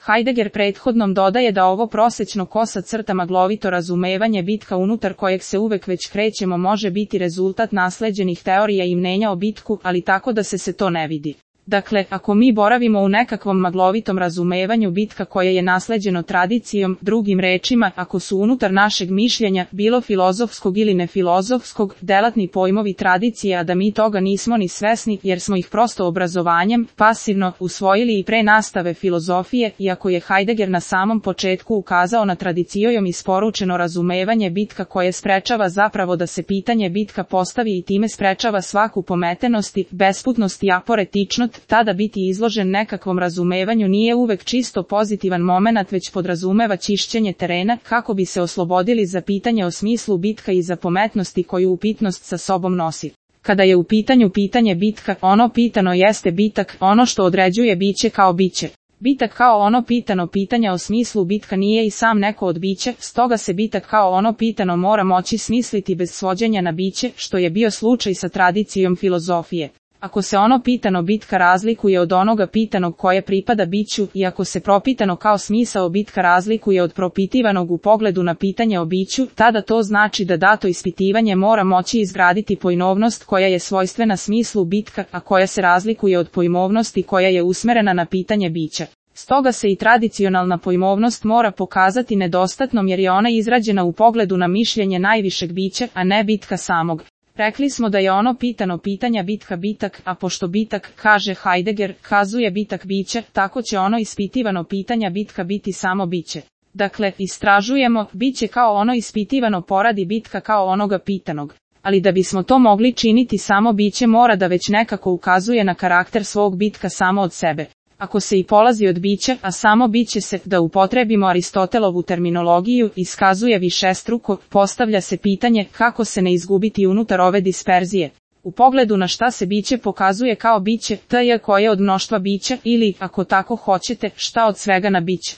Heidegger prethodnom dodaje da ovo prosečno kosa crta maglovito razumevanje bitka unutar kojeg se uvek već krećemo može biti rezultat nasleđenih teorija i mnenja o bitku, ali tako da se to ne vidi. Dakle, ako mi boravimo u nekakvom maglovitom razumevanju bitka koje je nasleđeno tradicijom, drugim rečima, ako su unutar našeg mišljenja, bilo filozofskog ili nefilozofskog, delatni pojmovi tradicije, a da mi toga nismo ni svesni, jer smo ih prosto obrazovanjem, pasivno, usvojili i pre nastave filozofije, iako je Heidegger na samom početku ukazao na tradicijom isporučeno razumevanje bitka koje sprečava zapravo da se pitanje bitka postavi i time sprečava svaku pometenost i besputnost i aporetičnost, tada biti izložen nekakvom razumevanju nije uvek čisto pozitivan momenat, već podrazumeva čišćenje terena kako bi se oslobodili za pitanje o smislu bitka i za pometnosti koju upitnost sa sobom nosi. Kada je u pitanju pitanje bitka, ono pitano jeste bitak, ono što određuje biće kao biće. Bitak kao ono pitano pitanja o smislu bitka nije i sam neko od bića, stoga se bitak kao ono pitano mora moći smisliti bez svođenja na biće, što je bio slučaj sa tradicijom filozofije. Ako se ono pitano bitka razlikuje od onoga pitanog koje pripada biću i ako se propitano kao smisao bitka razlikuje od propitivanog u pogledu na pitanje o biću, tada to znači da dato ispitivanje mora moći izgraditi pojmovnost koja je svojstvena smislu bitka, a koja se razlikuje od pojmovnosti koja je usmerena na pitanje bića. Stoga se i tradicionalna pojmovnost mora pokazati nedostatnom jer je ona izrađena u pogledu na mišljenje najvišeg bića, a ne bitka samog. Rekli smo da je ono pitano pitanja bitka bitak, a pošto bitak, kaže Heidegger, kazuje bitak bića, tako će ono ispitivano pitanja bitka biti samo biće. Dakle, istražujemo, biće kao ono ispitivano poradi bitka kao onoga pitanog. Ali da bismo to mogli činiti samo biće mora da već nekako ukazuje na karakter svog bitka samo od sebe. Ako se i polazi od bića, a samo biće se, da upotrebimo Aristotelovu terminologiju, iskazuje višestruko, postavlja se pitanje kako se ne izgubiti unutar ove disperzije. U pogledu na šta se biće pokazuje kao biće, koje od mnoštva bića ili, ako tako hoćete, šta od svega na biće.